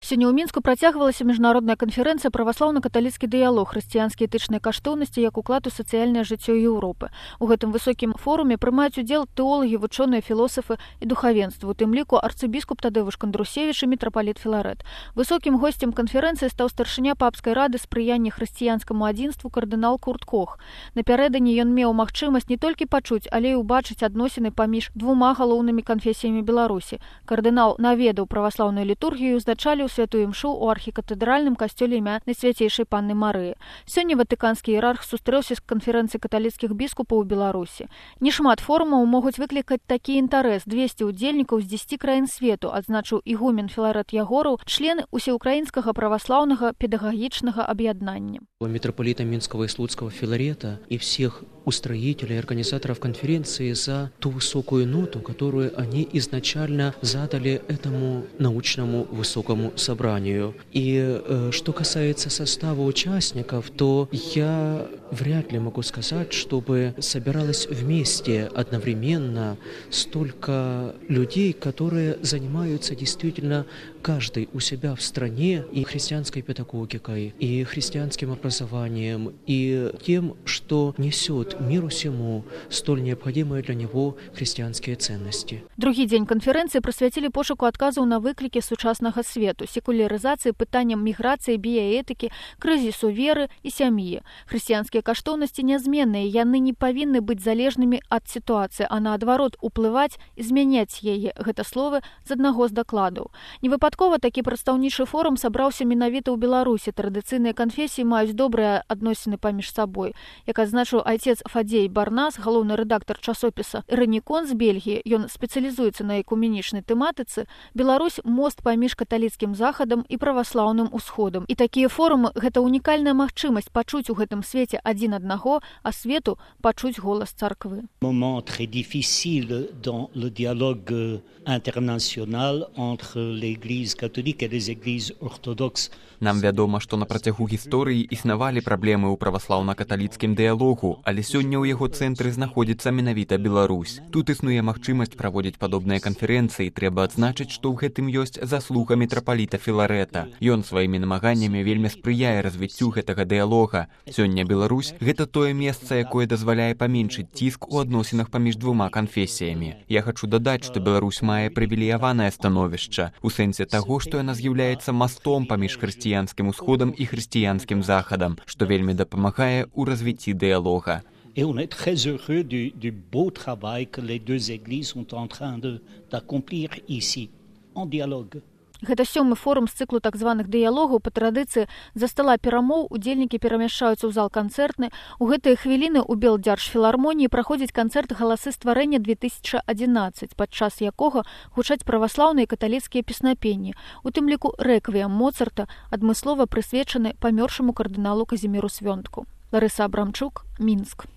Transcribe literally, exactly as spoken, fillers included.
Сёння ў Мінску працягвалася міжнародная канферэнцыя «Праваслаўна-каталіцкі дыялог. Хрысціянскія этычныя каштоўнасці як уклад у сацыяльнае жыццё Еўропы». У гэтым высокім форуме прымаюць удзел тэолагі, вучоныя, філосафы і духавенства, у тым ліку арцыбіскуп Тадеуш Кандрусевіч і мітрапаліт Філарэт. Высокім госцем канферэнцыі стаў старшыня папскай рады спрыяння хрысціянскаму адзінству кардынал Курт Кох. Напярэдадні ён меў магчымасць не толькі пачуць, але і ўбачыць адносіны паміж двума галоўнымі канфесіямі Беларусі. Кардынал наведаў праваслаўную літургію, узначаліў святую імшу ў архікатэдральным касцёле імя Найсвяцейшай Панны Марыі. Сёння ватыканскі іерарх сустрэўся з канферэнцыяй каталіцкіх біскупаў у Беларусі. Нешмат форумаў могуць выклікаць такі інтарэс. двесце удзельнікаў з дзесяці краін свету, адзначыў ігумен Філарэт Ягораў, члены усеукраінскага праваслаўнага педагагічнага аб'яднання. Митрополита Минского и Слуцкого Филарета и всех устроителей и организаторов конференции за ту высокую ноту, которую они изначально задали этому научному высокому собранию. И э, что касается состава участников, то я вряд ли могу сказать, чтобы собиралось вместе одновременно столько людей, которые занимаются действительно каждый у себя в стране и христианской педагогикой, и христианским образованием, и тем, что несет миру всему столь необходимые для него христианские ценности. Другі дзень канферэнцыі прысвяцілі пошуку адказаў на выклікі сучаснага свету, секулярызацыі, пытанням міграцыі, біяэтыкі, крызісу веры і сям'і. Хрысціянскія каштоўнасці нязменныя, яны не павінны быць залежнымі ад сітуацыі, а наадварот уплываць і змяняць яе. Гэта словы з аднаго з дакладаў. Невыпадкова такі прадстаўнічы форум сабраўся менавіта ў Беларусі. Традыцыйныя канфесіі маюць добрыя адносіны паміж сабой. Як адзначыў айцец Фадзей Барнас, галоўны рэдактар часопіса «Ранікон» з Бельгіі, ён спецыялізуецца на экуменічнай тэматыцы, Беларусь – мост паміж каталіцкім захадам і праваслаўным усходам. І такія форумы – гэта унікальная магчымасць пачуць у гэтым свеце адзін аднаго, а свету пачуць голас царквы. Moment très difficile dans le dialogue international entre l'Église catholique et les églises orthodoxes. Нам вядома, што на працягу гісторыі існавалі праблемы ў праваслаўна-каталіцкім дыялогу, але сёння ў яго цэнтры знаходзіцца менавіта Беларусь. Тут існуе магчымасць праводзіць падобныя канферэнцыі. Трэба адзначыць, што ў гэтым ёсць заслуга мітрапаліта Філарэта. Ён сваімі намаганнямі вельмі спрыяе развіццю гэтага дыялога. Сёння Беларусь – гэта тое месца, якое дазваляе паменшыць ціск у адносінах паміж двума канфесіямі. Я хачу дадаць, што Беларусь мае прывілеяванае становішча у сэнсе таго, што яна з'яўляецца мастом паміж хрысціянскім усходам і хрысціянскім захадам, што вельмі дапамагае ў развіцці дыялога. Et on est très heureux du, du beau travail que les deux églises sont en train de, d'accomplir ici, en dialogue. Гэта сёмы форум з цыклу так званых дыялогаў. Па традыцыі за стала перамоў удзельнікі перамяшчаюцца ў зал канцэртны. У гэтыя хвіліны ў Белдзяржфілармоніі праходзіць канцэрт «Галасы стварэння две тысячы адзінаццаць», падчас якога гучаць праваслаўныя і каталіцкія песнапенні, у тым ліку рэквіем Моцарта, адмыслова прысвечаны памёршаму кардыналу Казіміру Свёнтку. Ларыса Абрамчук, Мінск.